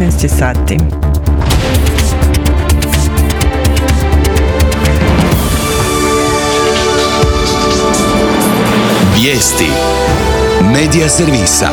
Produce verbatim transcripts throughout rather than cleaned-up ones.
devetnaest sati. Vijesti Medija servisa.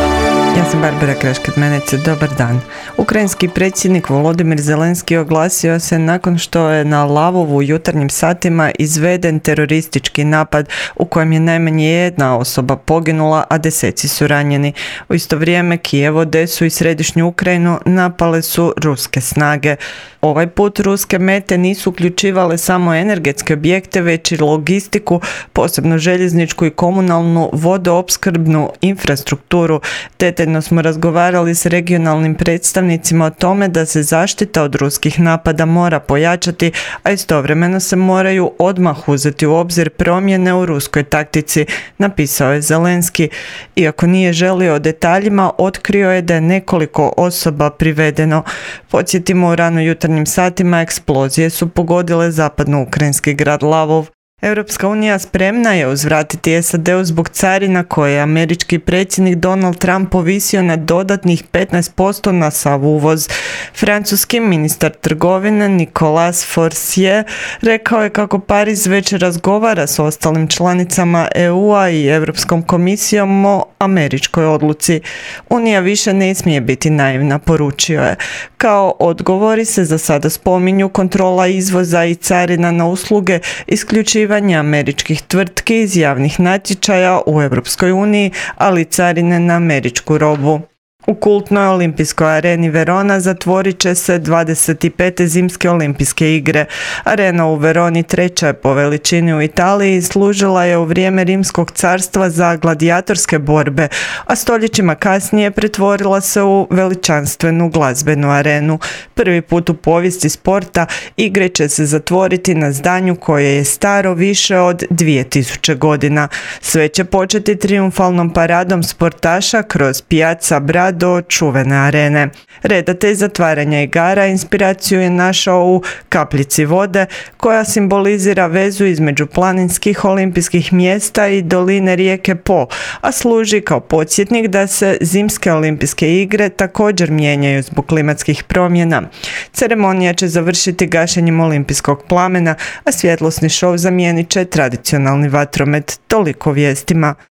Ja sam Barbara Kraškat-Menece, dobar dan. Ukrajinski predsjednik Volodimir Zelenski oglasio se nakon što je na Lavovu u jutarnjim satima izveden teroristički napad u kojem je najmanje jedna osoba poginula, a deseci su ranjeni. U isto vrijeme Kijev, Odesu i središnju Ukrajinu napale su ruske snage. Ovaj put ruske mete nisu uključivale samo energetske objekte, već i logistiku, posebno željezničku i komunalnu vodoopskrbnu infrastrukturu. Detaljno smo razgovarali s regionalnim predstavnicima o tome da se zaštita od ruskih napada mora pojačati, a istovremeno se moraju odmah uzeti u obzir promjene u ruskoj taktici, napisao je Zelenski. Iako nije želio o detaljima, otkrio je da je nekoliko osoba privedeno. Podsjetimo, u rano jutarnjim satima eksplozije su pogodile zapadno-ukrajinski grad Lavov. Europska unija spremna je uzvratiti S A D-u zbog carina koje je američki predsjednik Donald Trump povisio na dodatnih petnaest posto na sav uvoz. Francuski ministar trgovine Nicolas Forestier rekao je kako Pariz već razgovara s ostalim članicama E U-a i Europskom komisijom o američkoj odluci. Unija više ne smije biti naivna, poručio je. Kao odgovori se za sada spominju kontrola izvoza i carina na usluge, isključivanje američkih tvrtki iz javnih natječaja u Europskoj uniji, ali carine na američku robu. U kultnoj olimpijskoj areni Verona zatvorit će se dvadeset pete zimske olimpijske igre. Arena u Veroni treća je po veličini u Italiji i služila je u vrijeme Rimskog carstva za gladijatorske borbe, a stoljećima kasnije pretvorila se u veličanstvenu glazbenu arenu. Prvi put u povijesti sporta igre će se zatvoriti na zdanju koje je staro više od dvije tisuće godina. Sve će početi trijumfalnom paradom sportaša kroz Piazza Bra do čuvene arene. Redatelj zatvaranja igara inspiraciju je našao u kapljici vode koja simbolizira vezu između planinskih olimpijskih mjesta i doline rijeke Po, a služi kao podsjetnik da se zimske olimpijske igre također mijenjaju zbog klimatskih promjena. Ceremonija će završiti gašenjem olimpijskog plamena, a svjetlosni šov zamijenit će tradicionalni vatromet. Toliko vijestima.